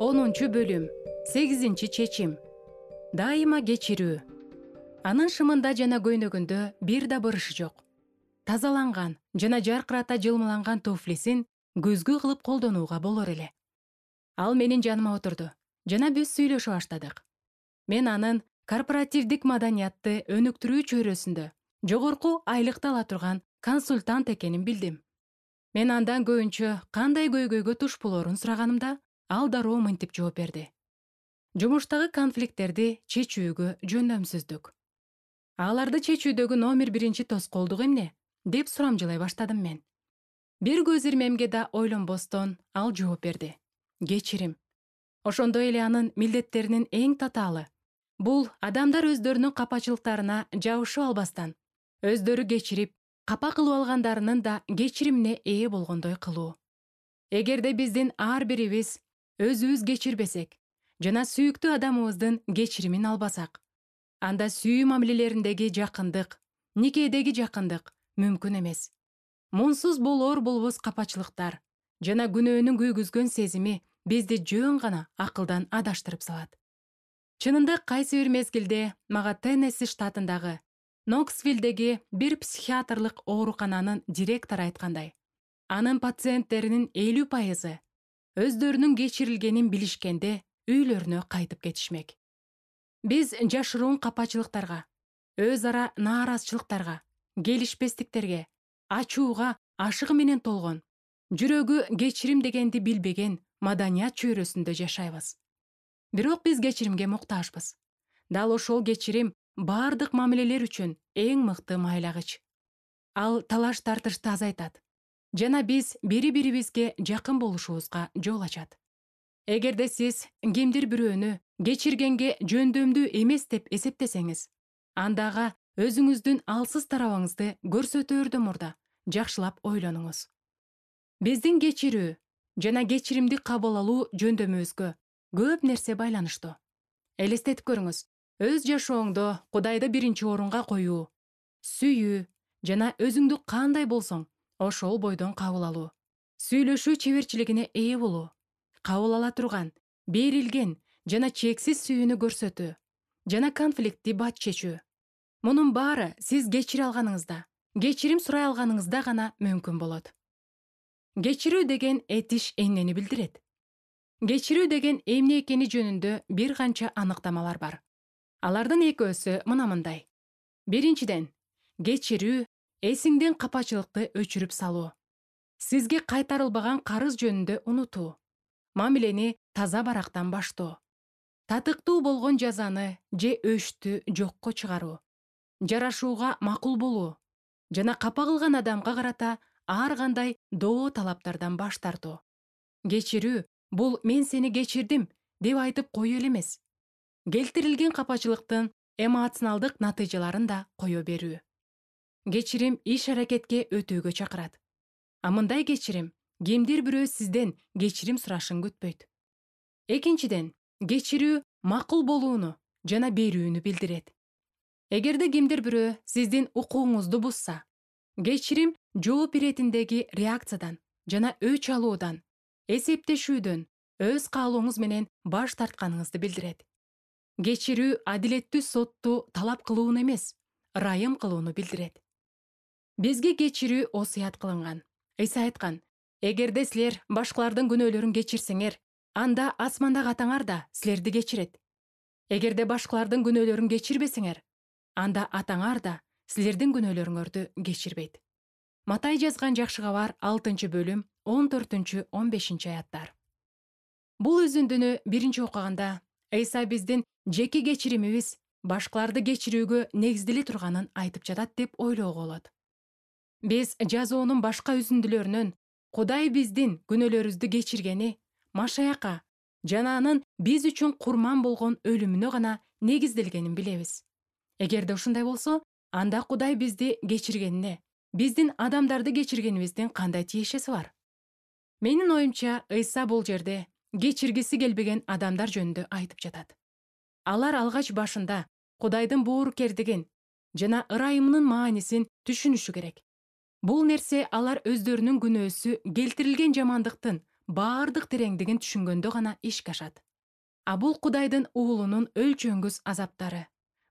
10-бөлүм 8-чечим. Дайыма кечирүү. Анын шымында жана көйнөгүндө бир да бырышы жок. Тазаланган жана жаркырата жылмаланган туфлисин көзгү кылып колдонууга болор эле. Ал менин жаныма отурду жана биз сүйлөшө баштадык. Мен анын корпоративдик маданиятты өнүктүрүү чөйрөсүндө жогорку айлыкты ала турган консультант экенин билдим. Мен андан көбүнчө кандай көйгөйгө туш болоорун сураганымда, ал дароо мынтип жооп берди. Жумуштагы конфликттерди чечүүгө жөндөмсүздүк. Аларды чечүүдөгү номер 1 тоскоолдук эмне? Деп сурамжылай баштадым мен. Бир көз ирмемге да ойлонбостон ал жооп берди. Кечирим. Ошондой эле анын милдеттеринин эң татаалы. Бул адамдар өздөрүнүн капачылыктарына жабышып албастан, өздөрү кечирип, капа кылып алгандарынын да кечиримине ээ болгондой кылуу. Эгерде биздин ар бирибиз өзүбүз кечирбесек жана сүйүктүү адамыбыздын кечиримин албасак, анда сүйүү мамилелериндеги жакындык, никедеги жакындык мүмкүн эмес. Мунсуз болор болбос капачылыктар жана күнөөнүн күйгүзгөн сезими бизди жөн гана акылдан адаштырып салат. Чынында кайсы бир мезгилде мага Теннесси штатындагы Ноксвиллдеги бир психиатрлык оорукананын директору айткандай, анын пациенттеринин 50% өздөрүнүн кечирилгенин билишкенде үйлөрүнө кайтып кетишмек. Биз жашыруун капачылыктарга, өз ара нааразычылыктарга, келишпестиктерге, ачууга ашыгы менен толгон, жүрөгү кечирим дегенди билбеген маданият чөйрөсүндө жашайбыз. Бирок биз кечиримге муктажбыз. Дал ошол кечирим бардык мамилелер үчүн эң мыкты майлагыч. Ал талаш тартышты азайтат жана биз бири-бирибизге жакын болушубузга жол ачат. Эгерде сиз кимдир бирөөнү кечиргенге жөндөмдүү эмес деп эсептесеңиз, анда ага өзүңүздүн алсыз тарабыңызды көрсөтөөрдөн мурда жакшылап ойлонуңуз. Биздин кечирүү жана кечиримди кабыл алуу жөндөмүбүзгө көп нерсе байланыштуу. Элестетип көрүңүз, өз жашооңдо Кудайды 1-орунга коюу, сүйүү жана өзүңдү кандай болсоң, ошол бойдон кабыл алуу, сүйлөшүү чеберчилигине ээ болуу, кабыл ала турган, берилген жана чексиз сүйүүнү көрсөтүү жана конфликтти бат чечүү. Мунун баары сиз кечире алганыңызда, кечирим сурай алганыңызда гана мүмкүн болот. Кечирүү деген этиш эмнени билдирет? Кечирүү деген эмне экени жөнүндө бир канча аныктамалар бар. Алардын экөөсү мындай. Биринчиден, кечирүү эсиңден капачылыкты өчүрүп салуу. Сизге кайтарылбаган карыз жөнүндө унутуу. Мамилени таза барактан баштоо. Татыктуу болгон жазаны же өчтү жокко чыгаруу. Жарашууга макул болуу жана капа кылган адамга карата ар кандай доо талаптардан баш тартуу. Кечирүү бул мен сени кечирдим деп айтып коюу эле эмес. Келтирилген капачылыктын эмоционалдык натыйжаларын да кое берүү. Кечирим иш-аракетке өтүүгө чакырат. А мындай кечирим кимдир бирөө сизден кечирим сурашын күтпөйт. Экинчиден, кечирүү макул болууну жана берүүнү билдирет. Эгерде кимдир бирөө сиздин укугуңузду бузса, кечирим жооп иретиндеги реакциядан жана өч алуудан, эсептешүүдөн, өз каалооңуз менен баш тартканыңызды билдирет. Кечирүү адилеттүү сотту талап кылууну эмес, ырайым кылууну билдирет. Бизге кечирүү осуят кылынган. Ыйса айткан: эгерде силер башкалардын күнөөлөрүн кечирсеңер, анда асмандагы атаңар да силерди кечирет. Эгерде башкалардын күнөөлөрүн кечирбесеңер, анда атаңар да силердин күнөөлөрүңөрдү кечирбейт. Матай жазган жакшы кабар 6-бөлүм 14-15 аяттар. Бул үзүндүнү биринчи окуганда Ыйса биздин жеке кечиримибиз башкаларды кечирүүгө негизделе турганын айтып жатат деп ойлоого болот. Биз жазуунун башка үзүндүлөрүнөн Кудай биздин күнөөлөрүбүздү кечиргени Машаякка жана анын биз үчүн курман болгон өлүмүнө гана негизделгенин билебиз. Эгерде ушундай болсо, анда Кудай бизди кечиргенине, биздин адамдарды кечиргенибиздин кандай тиешеси бар? Менин оюмча, Ыйса бул жерде кечиргиси келбеген адамдар жөнүндө айтып жатат. Алар алгач башында Кудайдын боорукердигин жана ырайымынын маанисин түшүнүшү керек. Бул нерсе алар өздөрүнүн күнөөсү келтирилген жамандыктын баардык тереңдигин түшүнгөндө гана ишке ашат. А бул Кудайдын уулунун өлчөңгүс азаптары,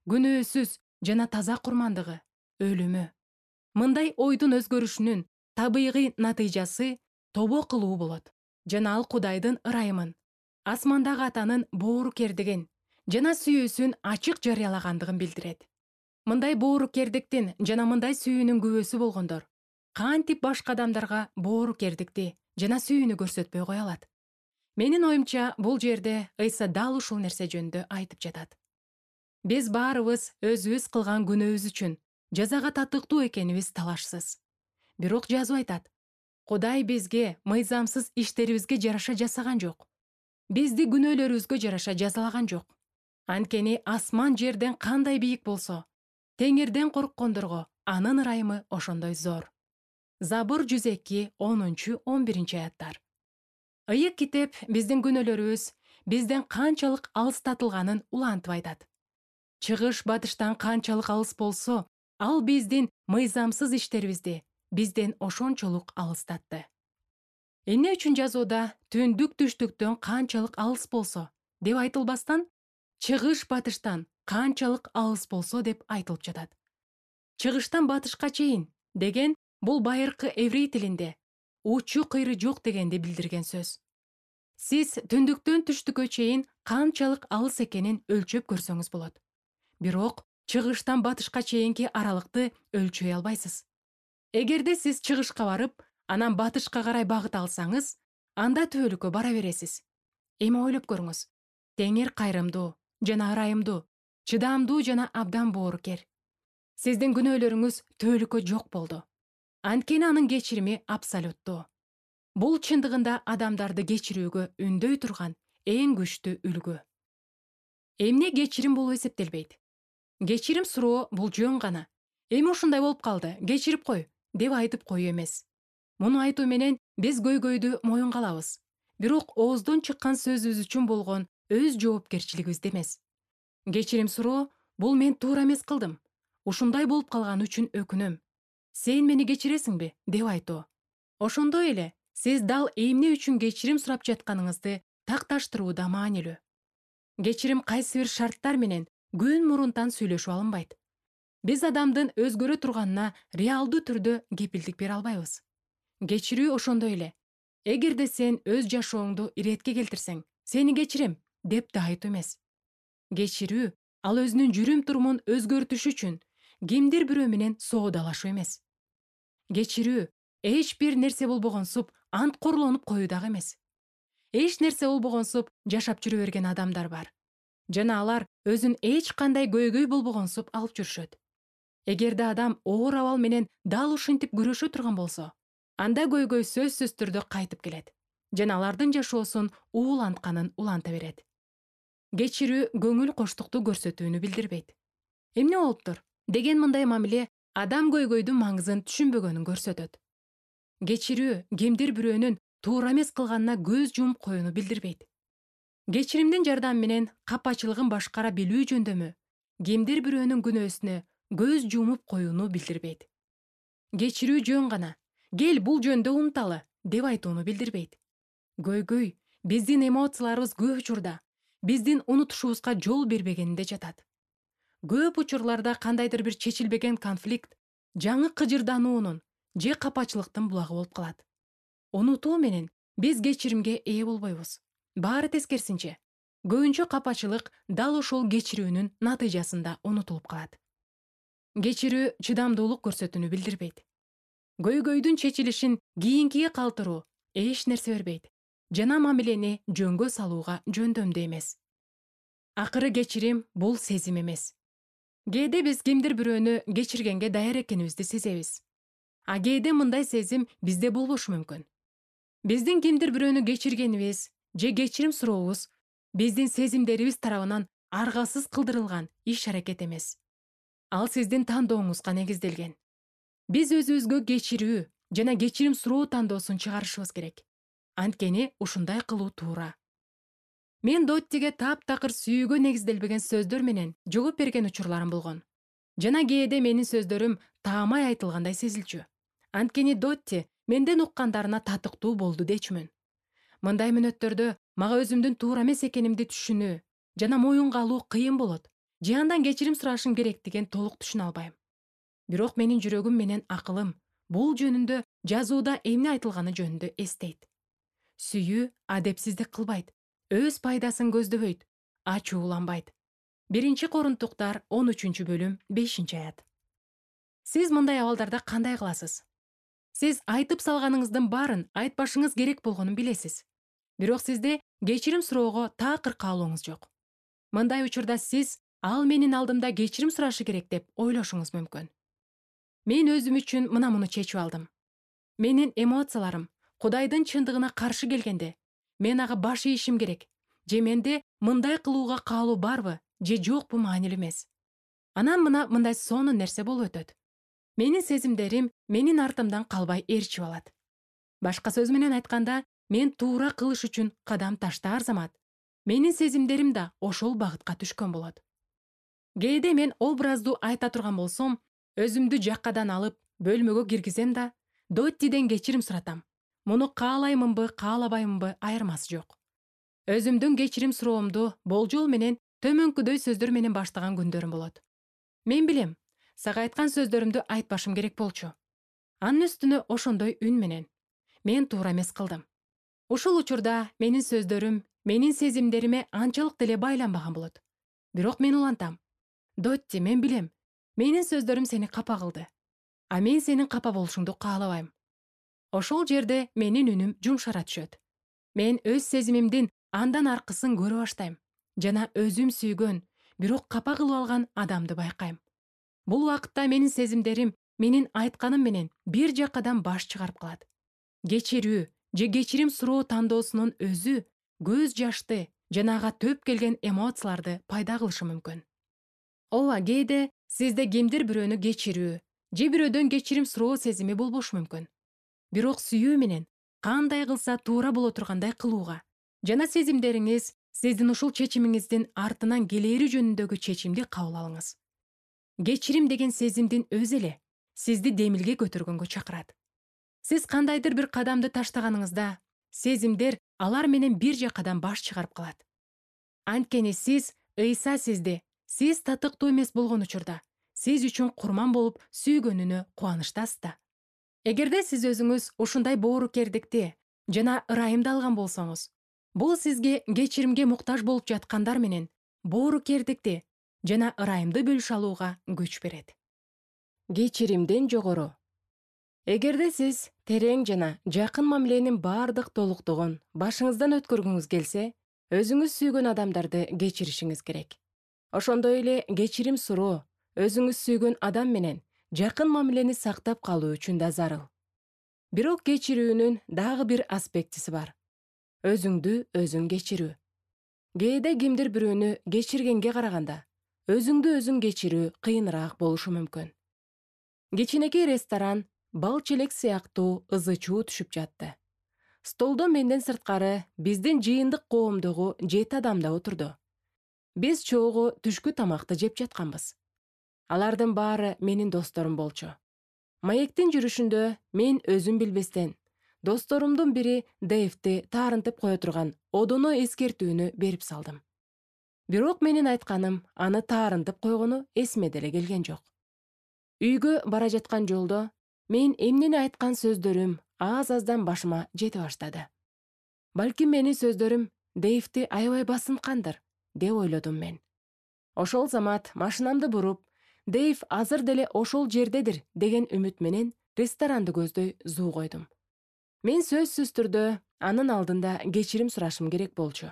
күнөөсүз жана таза курмандыгы, өлүмү. Мындай ойдун өзгөрүшүнүн табигый натыйжасы тобо кылуу болот. Жана ал Кудайдын ырайымын, асмандагы Атанын боорукердигин жана сүйүүсүн ачык жарыялагандыгын билдирет. Мындай боорукердиктин жана мындай сүйүүнүн күбөсү болгондор кантип башка адамдарга боорукердикти жана сүйүүнү көрсөтпөй кое алат? Менин оюмча, бул жерде Ыйса дал ушул нерсе жөнүндө айтып жатат. Биз баарыбыз өзүбүз кылган күнөөбүз үчүн жазага татыктуу экенибиз талашсыз. Бирок жазуу айтат: Кудай бизге мыйзамсыз иштерибизге жараша жасаган жок. Бизди күнөөлөрүбүзгө жараша жазалаган жок. Анткени асман жерден кандай бийик болсо, теңирден корккондорго анын ырайымы ошондой зор. Забур 102, 10-11 аяттар. Ыйык китеп биздин күнөөлөрүбүз бизден канчалык алыстатылганын улантып айтат. Чыгыш батыштан канчалык алыс болсо, ал биздин мыйзамсыз иштерибизди бизден ошончолук алыстатты. Эмне үчүн жазууда түндүк түштүктөн канчалык алыс болсо деп айтылбастан, чыгыш батыштан канчалык алыс болсо деп айтылып жатат. Чыгыштан батышка чейин деген бул байыркы эврей тилинде учу кыйры жок дегенди билдирген сөз. Сиз түндүктөн түштүккө чейин канчалык алыс экенин өлчөп көрсөңүз болот. Бирок чыгыштан батышка чейинки аралыкты өлчөй албайсыз. Эгерде сиз чыгышка барып, анан батышка карай багыт алсаңыз, анда түбөлүккө бара бересиз. Эми ойлоп көрүңүз. Теңир кайрымдуу жана ырайымдуу, чыдамдуу жана абдан боорукер. Сиздин күнөөлөрүңүз түбөлүккө жок болду. Анткени анын кечирими абсолюттуу. Бул чындыгында адамдарды кечирүүгө үндөй турган эң күчтүү үлгү. Эмне кечирим болуп эсептелбейт? Кечирим суроо бул жөн гана. Эми ушундай болуп калды, кечирип кой деп айтып коюу эмес. Муну айтуу менен биз көйгөйдү моюнга алабыз. Бирок ооздон чыккан сөзүбүз үчүн болгон өз жоопкерчилигибизде эмес. Кечирим суроо бул мен туура эмес кылдым. Ушундай болуп калган үчүн өкүнөм. Сен мени кечиресиңби деп айтуу. Ошондой эле сиз дал эмне үчүн кечирим сурап жатканыңызды такташтырууда маанилүү. Кечирим кайсы бир шарттар менен күн мурунтан сүйлөшүп алынбайт. Биз адамдын өзгөрө турганына реалдуу түрдө кепилдик бере албайбыз. Кечирүү ошондой эле. Эгерде сен өз жашооңду иретке келтирсең, сени кечирем деп да айтуу эмес. Кечирүү ал өзүнүн жүрүм-турумун өзгөртүш үчүн кимдир бирөө менен соодалашуу эмес. Кечирүү эч бир нерсе болбогонсуп ант корлонуп коюу дагы эмес. Эч нерсе болбогонсуп жашап жүрө берген адамдар бар. Жана алар өзүн эч кандай көйгөй болбогонсуп алып жүрүшөт. Эгерде адам оор абал менен дал ушинтип күрөшө турган болсо, анда көйгөй сөзсүз түрдө кайтып келет жана алардын жашоосун уулантканын уланта берет. Кечирүү көңүл коштукту көрсөтүүнү билдирбейт. Эмне болуптур деген мындай мамиле адам көйгөйдүн маңызын түшүнбөгөнүн көрсөтөт. Кечирүү кимдир бирөөнүн туура эмес кылганына көз жумуп коюуну билдирбейт. Кечиримдин жардамы менен капачылыгын башкара билүү жөндөмү кимдир бирөөнүн күнөөсүнө көз жумуп коюуну билдирбейт. Кечирүү жөн гана «Кел бул жөндө унуталы» деп айтууну билдирбейт. Көйгөй биздин эмоцияларыбыз көп учурда биздин унутушубузга жол бербегенинде жатат. Көп учурларда кандайдыр бир чечилбеген конфликт жаңы кыжырдануунун же капачылыктын булагы болуп калат. Унутуу менен биз кечиримге ээ болбойбуз. Баары тескерисинче, көбүнчө капачылык дал ошол кечирүүнүн натыйжасында унутулуп калат. Кечирүү чыдамдуулук көрсөтүүнү билдирбейт. Көйгөйдүн чечилишин кийинкиге калтыруу эч нерсе бербейт жана мамилени жөнгө салууга жөндөмдүү эмес. Акыры кечирим бул сезим эмес. Кээде биз кимдир бирөөнү кечиргенге даяр экенибизди сезебиз. А кээде мындай сезим бизде болбошу мүмкүн. Биздин кимдир бирөөнү кечиргенибиз же кечирим сурообуз биздин сезимдерибиз тарабынан аргасыз кылдырылган иш-аракет эмес. Ал сиздин тандооңузга негизделген. Биз өзүбүзгө кечирүү жана кечирим суроо тандоосун чыгарышыбыз керек. Анткени ушундай кылуу туура. Мен Доттиге таптакыр сүйүүгө негизделбеген сөздөр менен жооп берген учурларым болгон. Жана кээде менин сөздөрүм таамай айтылгандай сезилчү. Анткени Дотти менден уккандарына татыктуу болду дечүмүн. Мындай мүнөттөрдө мага өзүмдүн туура эмес экенимди түшүнүү жана моюнга алуу кыйын болот. Же андан кечирим сурашым керектигин толук түшүнө албайм. Бирок менин жүрөгүм менен акылым бул жөнүндө жазууда эмне айтылганы жөнүндө эстейт. Сүйүү адепсиздик кылбайт, өз пайдасын көздөбөйт, ачууланбайт. 1-Корунтуктар 13-бөлүм 5-аят. Сиз мындай абалдарда кандай кыласыз? Сиз айтып салганыңыздын баарын айтпашыңыз керек болгонун билесиз. Бирок сизде кечирим суроого такыр каалооңуз жок. Мындай учурда сиз ал менин алдымда кечирим сурашы керек деп ойлошуңуз мүмкүн. Мен өзүм үчүн муну чечип алдым. Менин эмоцияларым Кудайдын чындыгына каршы келгенде, мен ага баш ийишим керек. Же менде мындай кылууга каалоо барбы, же жокпу маанилүү эмес. Анан мындай сонун нерсе болуп өтөт. Менин сезимдерим менин артымдан калбай ээрчип алат. Башка сөз менен айтканда, мен туура кылыш үчүн кадам таштаар замат, менин сезимдерим да ошол багытка түшкөн болот. Кээде мен образдуу айта турган болсом, өзүмдү жаккадан алып, бөлмөгө киргизем да, Доттиден кечирим суратам. Муну каалаймынбы, каалабаймынбы айырмасы жок. Өзүмдүн кечирим суроомду болжол менен төмөнкүдөй сөздөр менен баштаган күндөрүм болот. Мен билем, сага айткан сөздөрүмдү айтпашым керек болчу. Анын үстүнө ошондой үн менен. Мен туура эмес кылдым. Ушул учурда менин сөздөрүм менин сезимдериме анчалык деле байланбаган болот. Бирок мен улантам. Дотти, мен билем, менин сөздөрүм сени капа кылды. А мен сенин капа болушуңду каалабайм. Ошол жерде менин үнүм жумшара түшөт. Мен өз сезимимдин андан аркысын көрө баштайм жана өзүм сүйгөн, бирок капа кылып алган адамды байкайм. Бул убакытта менин сезимдерим менин айтканым менен бир жаккадан баш чыгарып калат. Кечирүү же кечирим суроо тандоосунун өзү көз жашты жана ага төп келген эмоцияларды пайда кылышы мүмкүн. Ооба, кээде сизде кимдир бирөөнү кечирүү же бирөөдөн кечирим суроо сезими болбошу мүмкүн. Бирок сүйүү менен кандай кылса туура боло тургандай кылууга жана сезимдериңиз сиздин ушул чечимиңиздин артынан келери жөнүндөгү чечимди кабыл алыңыз. Кечирим деген сезимдин өзү эле сизди демилге көтөргөнгө чакырат. Сиз кандайдыр бир кадамды таштаганыңызда, сезимдер алар менен бир жаккадан баш чыгарып калат. Анткени сиз Ыйса сизди, сиз татыктуу эмес болгон учурда, сиз үчүн курман болуп сүйгөнүнө кубанычтасыз да. Эгерде сиз өзүңүз ушундай боорукердикти жана ырайымды алган болсоңуз, бул сизге кечиримге муктаж болуп жаткандар менен боорукердикти жана ырайымды бөлүшө алууга күч берет. Кечиримден жогору. Эгерде сиз терең жана жакын мамиленин баардык толуктугун башыңыздан өткөргүңүз келсе, өзүңүз сүйгөн адамдарды кечиришиңиз керек. Ошондой эле кечирим суроо өзүңүз сүйгөн адам менен жакын мамилени сактап калуу үчүн да зарыл. Бирок кечирүүнүн дагы бир аспектиси бар. Өзүңдү өзүң кечирүү. Кээде кимдир бирөөнү кечиргенге караганда, өзүңдү өзүң кечирүү кыйыныраак болушу мүмкүн. Кичинекей ресторан бал челек сыяктуу ызы-чуу түшүп жатты. Столдо менден сырткары биздин жыйындык коомдогу 7 адам да отурду. Биз чогуу түшкү тамакты жеп жатканбыз. Алардын баары менин досторум болчу. Маектин жүрүшүндө мен өзүм билбестен досторумдун бири Дэйвди таарынтып кое турган одоно эскертүүнү берип салдым. Бирок менин айтканым аны таарынтып койгону эсиме деле келген жок. Үйгө бара жаткан жолдо мен эмнени айткан сөздөрүм аз-аздан башыма жете баштады. Балким менин сөздөрүм Дэйвди аябай басынткандыр, деп ойлодум мен. Ошол замат машинамды буруп, Дэйв азыр деле ошол жердедир деген үмүт менен ресторанды көздөй зуу койдум. Мен сөзсүз түрдө анын алдында кечирим сурашым керек болчу.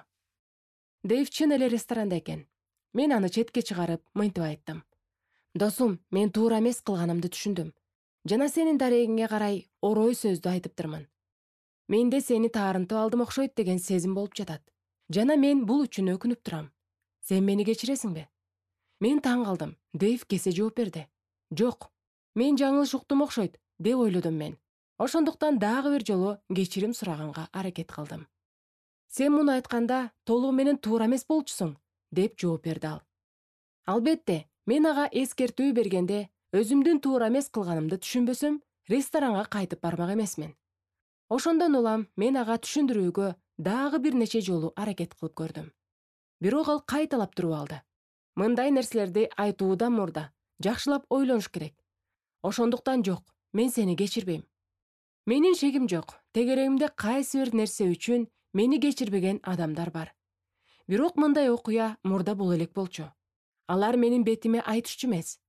Дэйв чын эле ресторанда экен. Мен аны четке чыгарып, мынтип айттым. Досум, мен туура эмес кылганымды түшүндүм. Жана сенин дарегиңе карай орой сөздү айтыптырмын. Менде сени таарынтып алдым окшойт деген сезим болуп жатат. Жана мен бул үчүн өкүнүп турам. Сен мени кечиресиңби? Мен таң калдым. Дэйв кесе жооп берди. Жок, мен жаңылыш уктум окшойт, деп ойлодум мен. Ошондуктан дагы бир жолу кечирим сураганга аракет кылдым. Сен муну айтканда толугу менен туура эмес болчусуң, деп жооп берди ал. Албетте, мен ага эскертүү бергенде өзүмдүн туура эмес кылганымды түшүнбөсөм, ресторанга кайтып бармак эмесмин. Ошондон улам мен ага түшүндүрүүгө дагы бир нече жолу аракет кылып көрдүм. Бирок ал кайталап туруп алды. Мындай нерселерди айтуудан мурда жакшылап ойлонуш керек. Ошондуктан жок, мен сени кечирбейм. Менин шегим жок. Тегерегимде кайсы бир нерсе үчүн мени кечирбеген адамдар бар. Бирок мындай окуя мурда боло элек болчу. Алар менин бетиме айтышчу эмес.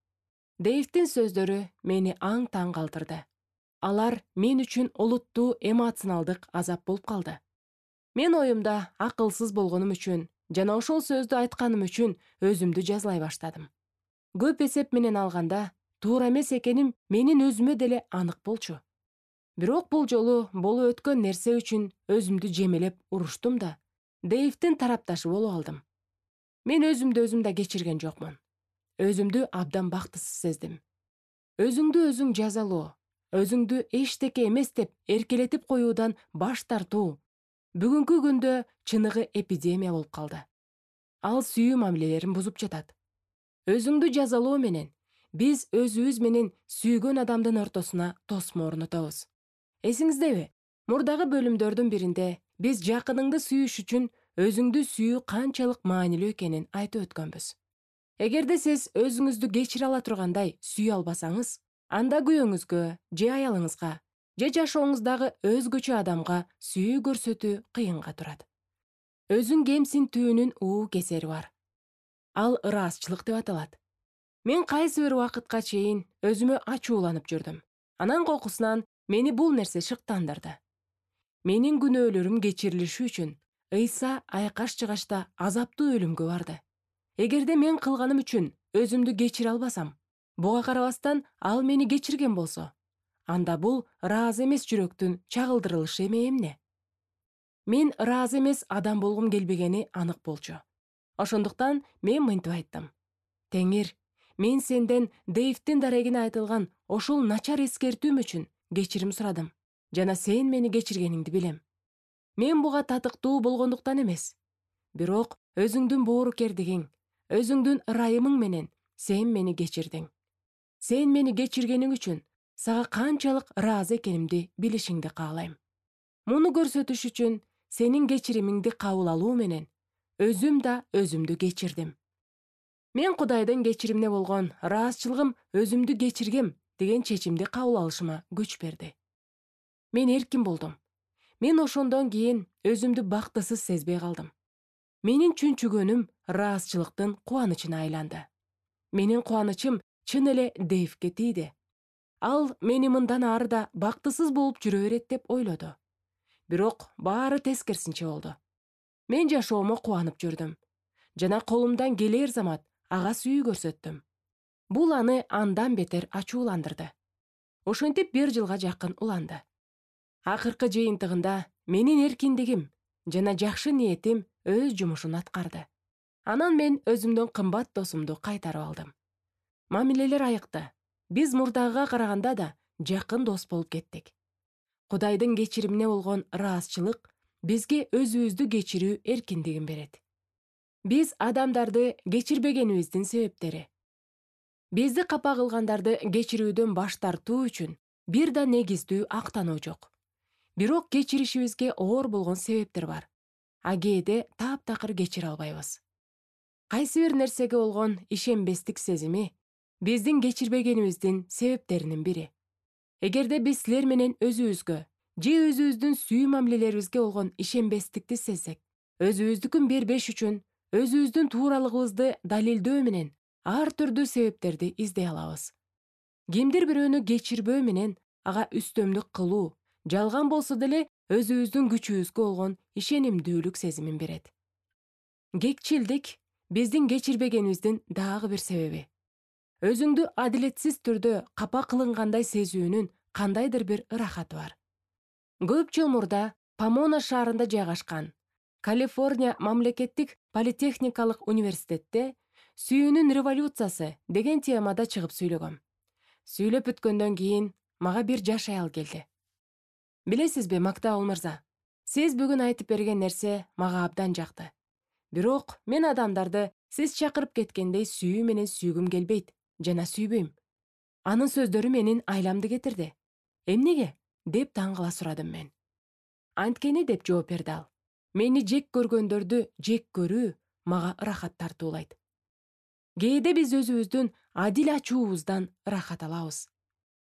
Дэйвдин сөздөрү мени аң-таң калтырды. Алар мен үчүн олуттуу эмоционалдык азап болуп калды. Мен оюмда акылсыз болгонум үчүн жана ошол сөздү айтканым үчүн өзүмдү жазалай баштадым. Көп эсеп менен алганда, туура эмес экеним менин өзүмө деле анык болчу. Бирок бул жолу болуп өткөн нерсе үчүн өзүмдү жемелеп уруштум да, Дэйвдин тарапташы болуп алдым. Мен өзүмдү да кечирген жокмун. Өзүмдү абдан бактысыз сездим. Өзүңдү өзүң жазалоо, өзүңдү эчтеке эмес деп эркелетип коюудан баш тартуу бүгүнкү күндө чыныгы эпидемия болуп калды. Ал сүйүү мамилелерин бузуп жатат. Өзүңдү жазалоо менен биз өзүбүз менен сүйгөн адамдын ортосуна тосмо орнотобуз. Эсиңиздеби? Мурдагы бөлүмдөрдүн биринде биз жакыныңды сүйүш үчүн өзүңдү сүйүү канчалык маанилүү экенин айтып өткөнбүз. Эгерде сиз өзүңүздү кечире ала тургандай сүйө албасаңыз, анда күйөөңүзгө же аялыңызга же жашооңуздагы өзгөчө адамга сүйүү көрсөтүү кыйынга турат. Өзүң кемсинтүүнүн кесери бар. Ал ыраазчылык деп аталат. Мен кайсы бир убакытка чейин өзүмө ачууланып жүрдүм. Анан кокусунан мени бул нерсе шыктандырды. Менин күнөөлөрүм кечирилиши үчүн Ыйса айкаш-чыгашта азаптуу өлүмгө барды. Эгерде мен кылганым үчүн өзүмдү кечире албасам, буга карабастан ал мени кечирген болсо, анда бул ыраазы эмес жүрөктүн чагылдырылышы эмне? Мен ыраазы эмес адам болгум келбегени анык болчу. Ошондуктан мен мынтип айттым. Теңир, мен сенден Дэйвдин дарегине айтылган ошол начар эскертүүм үчүн кечирим сурадым. Жана сен мени кечиргениңди билем. Мен буга татыктуу болгондуктан эмес. Бирок өзүңдүн боорукердигиң, өзүңдүн ырайымың менен сен мени кечирдиң. Сен мени кечиргениң үчүн сага канчалык ыраазы экенимди билишиңди каалайм. Муну көрсөтүш үчүн сенин кечиримиңди кабыл алуу менен өзүм да өзүмдү кечирдим. Мен Кудайдын кечиримине болгон ыраазчылыгым өзүмдү кечиргем деген чечимди кабыл алышыма күч берди. Мен эркин болдум. Мен ошондон кийин өзүмдү бактысыз сезбей калдым. Менин чүнчүгөнүм ыраазчылыктын кубанычына айланды. Менин кубанычым чын эле Дэйвге тийди. Ал мени мындан ары да бактысыз болуп жүрө берет деп ойлоду. Бирок баары тескерисинче болду. Мен жашоомо кубанып жүрдүм. Жана колумдан келер замат ага сүйүү көрсөттүм. Бул аны андан бетер ачууландырды. Ошентип 1 жылга жакын уланды. Акыркы жыйынтыгында менин эркиндигим жана жакшы ниетим өз жумушун аткарды. Анан мен өзүмдүн кымбат досумду кайтарып алдым. Мамилелер айыкты. Биз мурдагыга караганда да жакын дос болуп кеттик. Кудайдын кечиримине болгон ыраазчылык бизге өзүбүздү кечирүү эркиндигин берет. Биз адамдарды кечирбегенибиздин себептери. Бизди капа кылгандарды кечирүүдөн баш тартуу үчүн бир да негиздүү актануу жок. Бирок кечиришибизге оор болгон себептер бар. А кээде таптакыр кечире албайбыз. Кайсы бир нерсеге болгон ишенбестик сезими биздин кечирбегенибиздин себептеринин бири. Эгерде биз силер менен өзүбүзгө же өзүбүздүн сүйүү мамилелерибизге болгон ишенбестикти сезсек, өзүбүздүкүн бербеш үчүн өзүбүздүн тууралыгыбызды далилдөө менен ар түрдүү себептерди издей алабыз. Кимдир бирөөнү кечирбөө менен ага үстөмдүк кылуу жалган болсо деле өзүбүздүн күчүбүзгө болгон ишенимдүүлүк сезимин берет. Кекчилдик биздин кечирбегенибиздин дагы бир себеби. Өзүңдү адилетсиз түрдө капа кылынгандай сезүүнүн кандайдыр бир ырахаты бар. Көп жыл мурда Помона шаарында жайгашкан Калифорния мамлекеттик политехникалык университетте «Сүйүүнүн революциясы» деген темада чыгып сүйлөгөм. Сүйлөп бүткөндөн кийин мага бир жаш аял келди. Билесизби, Мактабыл мырза, сиз бүгүн айтып берген нерсе мага абдан жакты. Бирок мен адамдарды сиз чакырып кеткендей сүйүү менен сүйгүм келбейт жана сүйбөйм. Анын сөздөрү менин айламды кетирди. Эмнеге? Деп таң кала сурадым мен. Анткени деп жооп берди ал. Мени жек көргөндөрдү жек көрүү мага ырахат тартуулайт. Кээде биз өзүбүздүн адил ачуубуздан ырахат алабыз.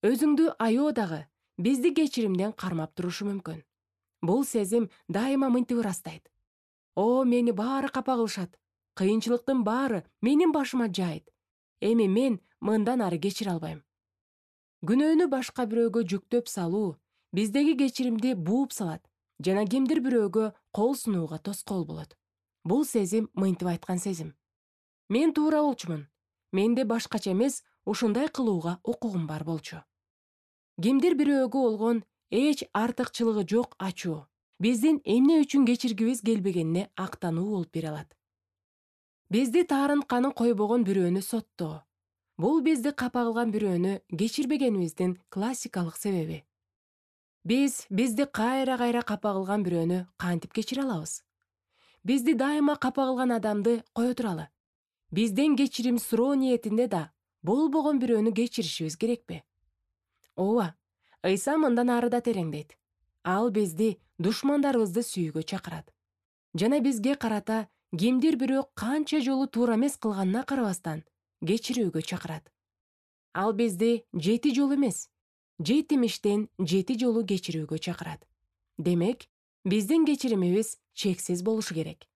Өзүңдү аябоо дагы бизди кечиримден кармап турушу мүмкүн. Бул сезим дайыма мынтип ырастайт. О, мени баары капа кылышат. Кыйынчылыктын баары менин башыма жайт. Эми мен мындан ары кечире албайм. Күнөөнү башка бирөөгө жүктөп салуу биздеги кечиримди бууп салат жана кимдир бирөөгө кол сунууга тоскоол болот. Бул сезим мынтип айткан сезим. Мен туура болчумун. Менде башкача эмес ушундай кылууга укугум бар болчу. Кимдир бирөөгө болгон эч артыкчылыгы жок ачуу биздин эмне үчүн кечиргибиз келбегенине актануу болуп бере алат. Бизди таарынтканы койбогон бирөөнү соттоо. Бул бизди капа кылган бирөөнү кечирбегенибиздин классикалык себеби. Бизди кайра капа кылган бирөөнү кантип кечире алабыз? Бизди дайыма капа кылган адамды кое туралы. Бизден кечирим суроо ниетинде да болбогон бирөөнү кечиришибиз керекпи? Ооба, Ыйса мындан ары да тереңдейт. Ал бизди душмандарыбызды сүйүүгө чакырат. Жана бизге карата кимдир бирөө канча жолу туура эмес кылганына карабастан кечирүүгө чакырат. Ал бизди 7 жолу эмес, 7 жолу кечирүүгө чакырат. Демек, биздин кечиримибиз чексиз болушу керек.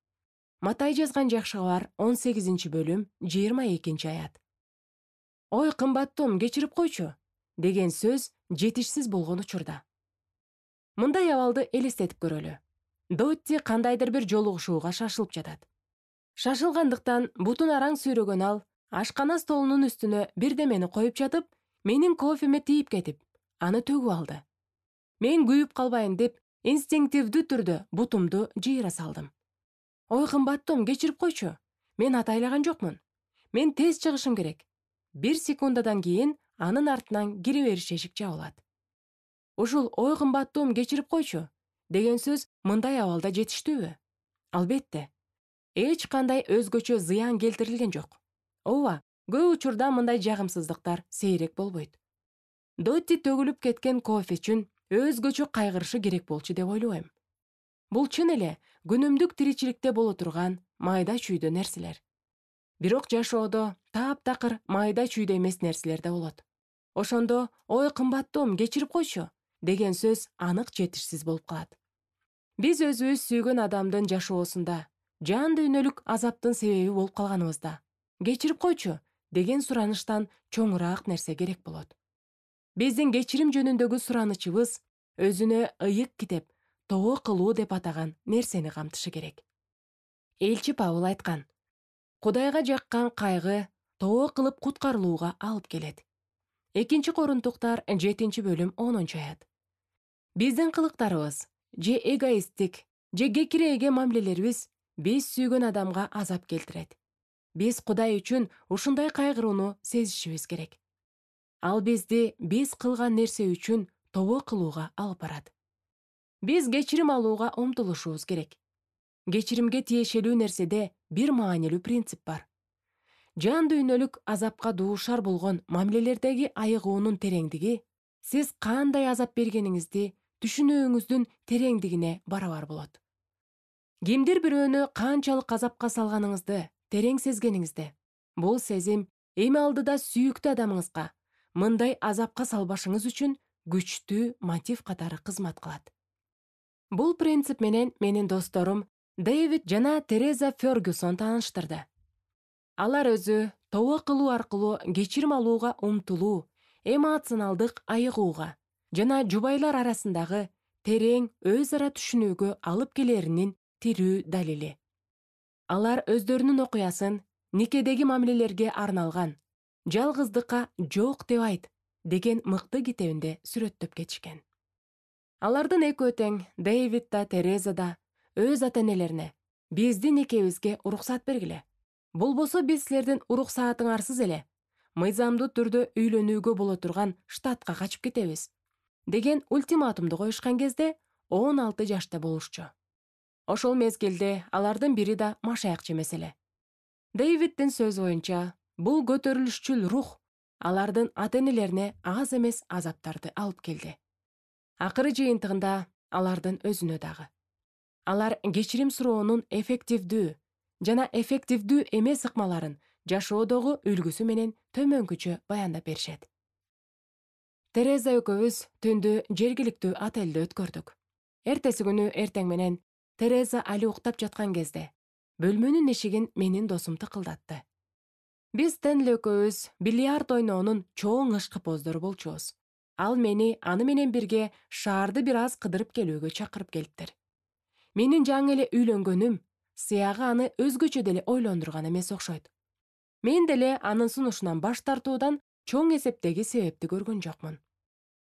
Матай жазган жакшы кабар 18-бөлүм 22-аят. Ой, кымбаттуум, кечирип койчу деген сөз жетишсиз болгон учурда. Мындай абалды элестетип көрөлү. Дотти кандайдыр бир жолугушууга шашылып жатат. Шашылгандыктан бутун араң сүйрөгөн ал ашкана столунун үстүнө бирдемени коюп жатып, менин кофеме тийип кетип, аны төгүп алды. Мен күйүп калбайын деп инстинктивдүү түрдө бутумду жыйыра салдым. Ой, кымбаттуум, кечирип койчу. Мен атайлаган жокмун. Мен тез чыгышым керек. 1 секундадан кийин анын артынан кире бериш эшик жабылат. Ушул ой, кымбаттуум, кечирип койчу деген сөз мындай абалда жетиштүүбү? Албетте. Эч кандай өзгөчө зыян келтирилген жок. Ооба, көп учурда мындай жагымсыздыктар сейрек болбойт. Дотти төгүлүп кеткен кофе үчүн өзгөчө кайгырышы керек болчу деп ойлойм. Бул чын эле күнүмдүк тиричиликте боло турган майда чүйдө нерселер. Бирок жашоодо таптакыр майда чүйдө эмес нерселер да болот. Ошондо ой, кымбаттуум, кечирип койчу деген сөз анык жетишсиз болуп калат. Биз өзүбүз сүйгөн адамдын жашоосунда жан дүйнөлүк азаптын себеби болуп калганыбызда кечирип койчу деген сураныштан чоңураак нерсе керек болот. Биздин кечирим жөнүндөгү суранычыбыз өзүнө ыйык китеп, тоо кылуу деп атаган нерсени камтышы керек. Элчи Павыл айткан: Кудайга жаккан кайгы тоо кылып куткарылууга алып келет. 2 Корунтуктар 7-бөлүм 10-аят. Биздин кылыктарыбыз же эгоисттик, же кекире эге мамилелерибиз биз сүйгөн адамга азап келтирет. Биз Кудай үчүн ушундай кайгырууну сезишибиз керек. Ал бизди биз кылган нерсе үчүн тобо кылууга алып барат. Биз кечирим алууга умтулушубуз керек. Кечиримге тиешелүү нерседе бир маанилүү принцип бар. Жан дүйнөлүк азапка дуушар болгон мамилелердеги айыгуунун тереңдиги сиз кандай азап бергениңизди түшүнүүңүздүн тереңдигине барабар болот. Кимдир бирөөнү канчалык азапка салганыңызды терең сезгениңизде, бул сезим эми алдыда сүйүктүү адамыңызга мындай азапка салбашыңыз үчүн күчтүү мотив катары кызмат кылат. Бул принцип менен менин досторум Дэвид жана Тереза Фергюсон тааныштырды. Алар өзү тобо кылуу аркылуу кечирим алууга умтулуу, эмоционалдык айыгууга жана жубайлар арасындагы терең өз ара түшүнүүгө алып келеринин тирүү далили. Алар өздөрүнүн окуясын никедеги мамилелерге арналган «Жалгыздыкка жок деп айт» деген мыкты китебинде сүрөттөп кетишкен. Алардын экөө тең, Дэвид да Тереза да, өз ата-энелерине биздин экөөбүзгө уруксат бергиле. Болбосо биз силердин уруксаатыңарсыз эле мыйзамдуу түрдө үйлөнүүгө боло турган штатка качып кетебиз деген ультиматумду коюшкан кезде 16 жашта болушчу. Ошол мезгилде алардын бири да машаякчы эмес эле. Дэвиддин сөзү боюнча, бул көтөрүлүшчүл рух алардын ата-энелерине аз эмес азаптарды алып келди. Акыры жыйынтыгында алардын өзүнө дагы. Алар кечирим суроонун эффективдүү жана эффективдүү эмес ыкмаларын жашоодогу үлгүсү менен төмөнкүчө баяндап беришет. Тереза экөөбүз түндү жергиликтүү отелде өткөрдүк. Эртеси күнү эртең менен Тереза али уктап жаткан кезде бөлмөнүн эшигин менин досум тыкылдатты. Биз Стенли экөөбүз бильярд ойноонун чоң ышкы-поздору болчубуз. Ал мени аны менен бирге шаарды бир аз кыдырып келүүгө чакырып келиптир. Менин жаңы эле үйлөнгөнүм сыягы аны өзгөчө деле ойлондурган эмес окшойт. Мен деле анын сунушунан баш тартуудан чоң эсептеги себепти көргөн жокмун.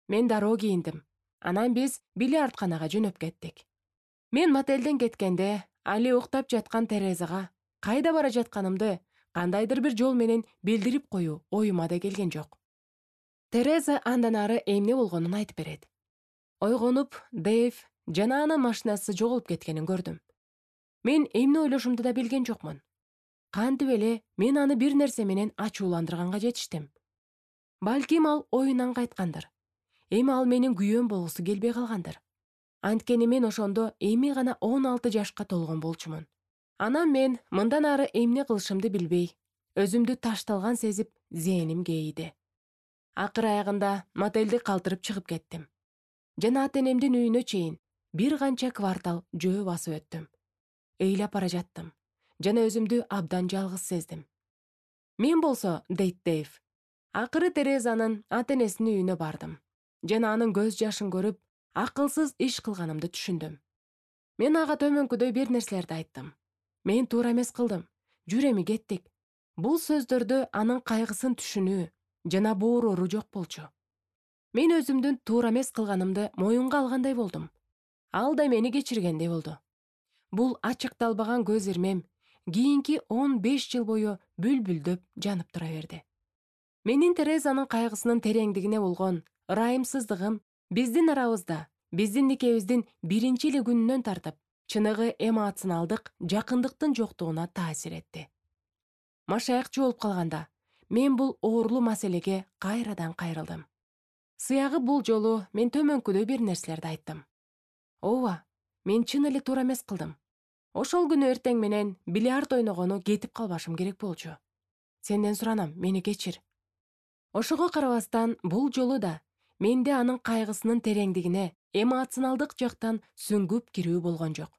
Мен дароо кийиндим. Анан биз бильярдканага жөнөп кеттик. Мен мотелден кеткенде али уктап жаткан Терезага кайда бара жатканымды кандайдыр бир жол менен билдирип коюу оюма да келген жок. Тереза андан ары эмне болгонун айтып берет. Ойгонуп, Дэйв жана анын машинасы жоголуп кеткенин көрдүм. Мен эмне ойлошумду да билген жокмун. Кантип эле мен аны бир нерсе менен ачууландырганга жетиштим. Балким ал оюнан кайткандыр. Эми ал менин күйөөм болгусу келбей калгандыр. Анткени мен ошондо эми гана 16 жашка толгон болчумун. Анан мен мындан ары эмне кылышымды билбей, өзүмдү ташталган сезип, зээним кейиди. Акыр аягында мотелди калтырып чыгып кеттим. Жана ата-энемдин үйүнө чейин бир канча квартал жөө басып өттүм. Ыйлап бара жаттым жана өзүмдү абдан жалгыз сездим. Мен болсо, дейт Дэйв, акыры Терезанын ата-энесинин үйүнө бардым жана анын көз жашын көрүп, акылсыз иш кылганымды түшүндүм. Мен ага төмөнкүдөй бир нерселерди айттым. Мен туура эмес кылдым. Жүр эми кеттик. Бул сөздөрдө анын кайгысын түшүнүү жана боорору жок болчу. Мен өзүмдүн туура эмес кылганымды моюнга алгандай болдум. Ал да мени кечиргендей болду. Бул ачыкталбаган көз ирмем кийинки 15 жыл бою бүлбүлдөп жанып тура берди. Менин Терезанын кайгысынын тереңдигине болгон ырайымсыздыгым биздин арабызда, биздин никебиздин биринчи эле күнүнөн тартып, чыныгы эмоционалдык жакындыктын жоктугуна таасир этти. Машаякчы болуп калганда, мен бул оорлуу маселеге кайрадан кайрылдым. Сыягы бул жолу мен төмөнкүдөй бир нерселерди айттым. Ооба, мен чын эле туура эмес кылдым. Ошол күнү эртең менен бильярд ойногону кетип калбашым керек болчу. Сенден суранам, мени кечир. Ошого карабастан бул жолу да менде анын кайгысынын тереңдигине эмоционалдык жактан сүңгүп кирүү болгон жок.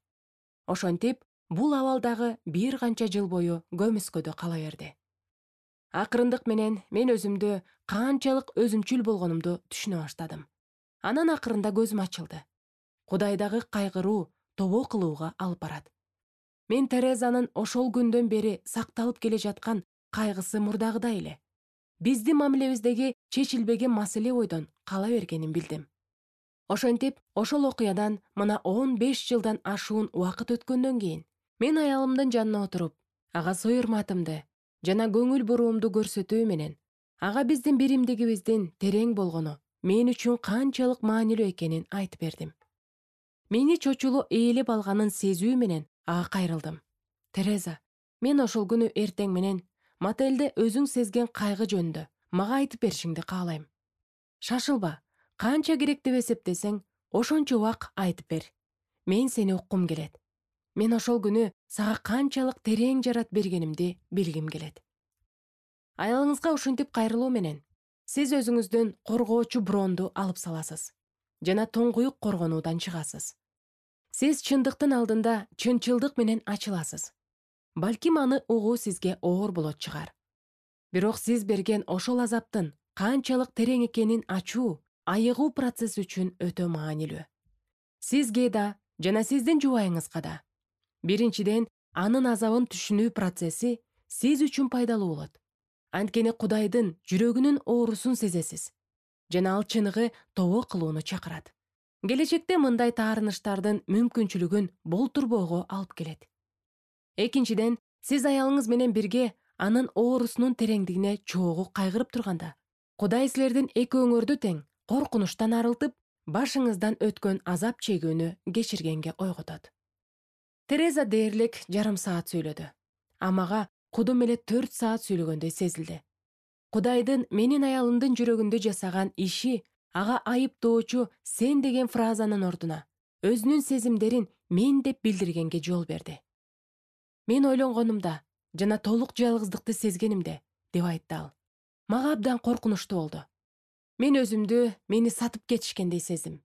Ошентип, бул абалдагы бир канча жыл бою көмүскөдө кала берди. Акырындык менен мен өзүмдү канчалык өзүмчүл болгонумду түшүнө баштадым. Анан акырында көзүм ачылды. Кудайдагы кайгыруу тобо кылууга алып барат. Мен Терезанын ошол күндөн бери сакталып келе жаткан кайгысы мурдагыдай эле. Биздин мамилебиздеги чечилбеген маселе бойдон кала бергенин билдим. Ошентип, ошол окуядан мына 15 жылдан ашуун убакыт өткөндөн кийин мен аялымдын жанына отуруп, ага суйурматымды жана көңүл буруумду көрсөтүү менен ага биздин биримдигибиздин терең болгону мен үчүн канчалык маанилүү экенин айтып бердим. Мени чочулу ээлеп алганын сезүү менен ага кайрылдым. Тереза, мен ошол күнү эртең менен мотелде өзүң сезген кайгы жөнүндө мага айтып беришиңди каалайм. Шашылба, канча керек деп эсептесең, ошончо убак айтып бер. Мен сени уккум келет. Мен ошол күнү сага канчалык терең жарат бергенимди билгим келет. Аялыңызга ушинтип кайрылуу менен сиз өзүңүздөн коргоочу бронду алып саласыз жана тоңкуюк коргонуудан чыгасыз. Сиз чындыктын алдында чынчылдык менен ачыласыз. Балким аны угуу сизге оор болот чыгар. Бирок сиз берген ошол азаптын канчалык терең экенин ачуу, айыгуу процесс үчүн өтө маанилүү. Сизге да жана сиздин жубайыңызга да. Биринчиден, анын азабын түшүнүү процесси сиз үчүн пайдалуу болот. Анткени Кудайдын жүрөгүнүн оорусун сезесиз жана ал чыныгы тобо кылууну чакырат. Келечекте мындай таарыныштардын мүмкүнчүлүгүн болтурбоого алып келет. Экинчиден, сиз аялыңыз менен бирге анын оорусунун тереңдигине чогуу кайгырып турганда, Кудай силердин экөөңөрдү тең коркунучтан арылтып, башыңыздан өткөн азап чегүүнү кечиргенге ойготот. Тереза дээрлик жарым саат сүйлөдү. А мага кудум эле 4 саат сүйлөгөндөй сезилди. Кудайдын менин аялымдын жүрөгүндө жасаган иши ага айыптоочу сен деген фразанын ордуна өзүнүн сезимдерин мен деп билдиргенге жол берди. Мен ойлонгонумда жана толук жалгыздыкты сезгенимде, деп айтты ал, мага абдан коркунучтуу болду. Мен өзүмдү мени сатып кетишкендей сездим.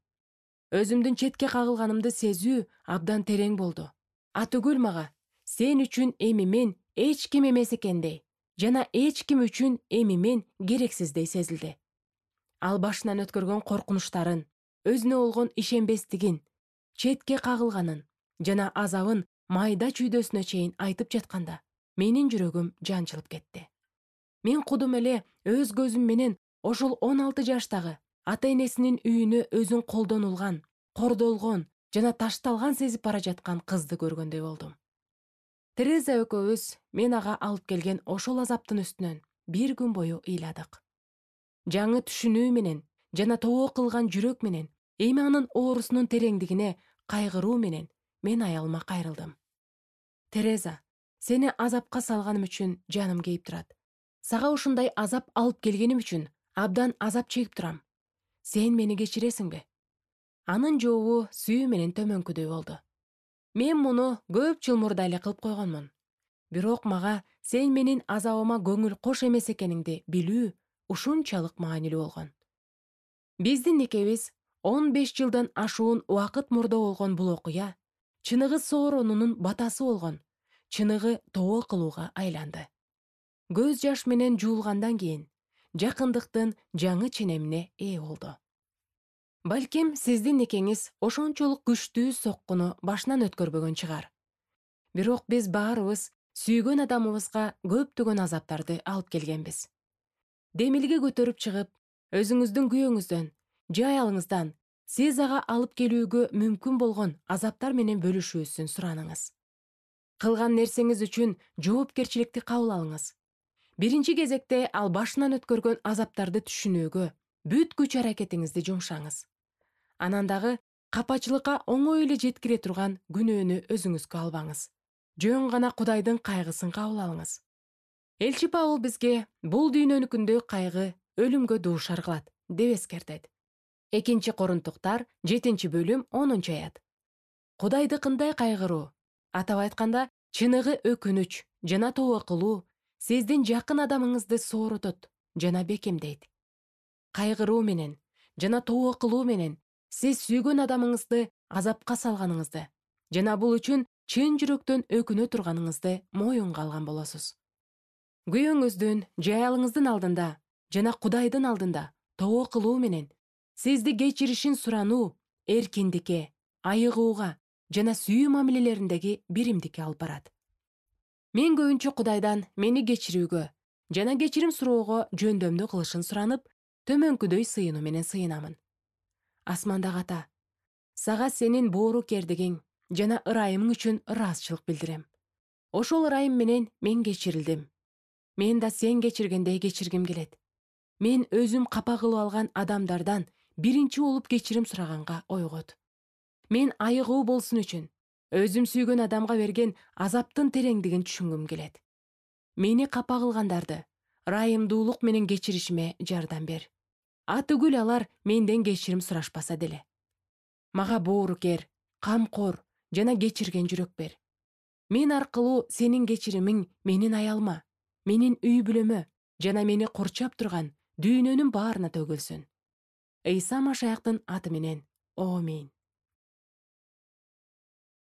Өзүмдүн четке кагылганымды сезүү абдан терең болду. Атүгүл мага сен үчүн эми мен эч ким эмес экендей жана эч ким үчүн эми мен керексиздей сезилди. Ал башынан өткөргөн коркунучтарын, өзүнө болгон ишенбестигин, четке кагылганын жана азабын майда чүйдөсүнө чейин айтып жатканда, менин жүрөгүм жанчылып кетти. Мен кудум эле өз көзүм менен ошол 16 жаштагы ата-энесинин үйүнө өзүн колдонулган, кордолгон жана ташталган сезип бара жаткан кызды көргөндөй болдум. Тереза экөөбүз мен ага алып келген ошол азаптын үстүнөн бир күн бою ыйладык. Жаңы түшүнүү менен жана тоо кылган жүрөк менен эми анын оорусунун тереңдигине кайгыруу менен мен аялыма кайрылдым. Тереза, сени азапка салганым үчүн жаным кейип турат. Сага ушундай азап алып келгеним үчүн абдан азап чегип турам. Сен мени кечиресиңби? Анын жообу сүйүү менен төмөнкүдөй болду. Мен муну көп жыл мурда эле кылып койгонмун. Бирок мага сен менин азабыма көңүл кош эмес экениңди билүү ушунчалык маанилүү болгон. Биздин никебиз 15 жылдан ашуун убакыт мурда болгон бул окуя чыныгы сооронунун батасы болгон, чыныгы тоо кылууга айланды. Көз жаш менен жуулгандан кийин жакындыктын жаңы ченемине ээ болду. Балким сиздин никеңиз ошончолук күчтүү соккуну башынан өткөрбөгөн чыгар. Бирок биз баарыбыз сүйгөн адамыбызга көптөгөн азаптарды алып келгенбиз. Демилге көтөрүп чыгып, өзүңүздүн күйөөңүздөн же аялыңыздан сиз ага алып келүүгө мүмкүн болгон азаптар менен бөлүшүүсүн сураныңыз. Кылган нерсеңиз үчүн жоопкерчиликти кабыл алыңыз. Биринчи кезекте ал башынан өткөргөн азаптарды түшүнүүгө бүт күч аракетиңизди жумшаңыз. Анан дагы капачылыкка оңой эле жеткире турган күнөөнү өзүңүзгө албаңыз. Жөн гана Кудайдын кайгысын кабыл алыңыз. Элчи Павыл бизге бул дүйнөнүкүндө кайгы өлүмгө дуушар кылат деп эскертет. 2 Корунтуктар 7-бөлүм 10-аят. Кудайдыкындай кайгыруу, атап айтканда, чыныгы өкүнүч жана тоо кылуу сиздин жакын адамыңызды сооротот жана бекемдейт. Кайгыруу менен жана тоо кылуу менен сиз сүйгөн адамыңызды азапка салганыңызды жана бул үчүн чын жүрөктөн өкүнө турганыңызды моюнга алган болосуз. Күйөөңүздүн же аялыңыздын алдында жана Кудайдын алдында тоо кылуу менен сизди кечиришин сурануу эркиндикке, айыгууга жана сүйүү мамилелериндеги биримдикке алып барат. Мен көбүнчө Кудайдан мени кечирүүгө жана кечирим суроого жөндөмдү кылышын суранып, төмөнкүдөй сыйынуу менен сыйынамын. Асмандагы Ата, сага сенин боорукердигиң жана ырайымың үчүн ыраазычылык билдирем. Ошол ырайым менен мен кечирилдим. Мен да сен кечиргендей кечиргим келет. Мен өзүм капа кылып алган адамдардан биринчи болуп кечирим сураганга ойгот. Мен айыгуу болсун үчүн өзүм сүйгөн адамга берген азаптын тереңдигин түшүнгүм келет. Мени капа кылгандарды ырайымдуулук менен кечиришиме жардам бер. Атүгүл алар менден кечирим сурашпаса деле. Мага боорукер, камкор жана кечирген жүрөк бер. Мен аркылуу сенин кечиримиң менин аялыма, менин үй бүлөмө жана мени курчап турган дүйнөнүн баарына төгүлсүн. Ыйса Машаяктын аты менен. Аминь.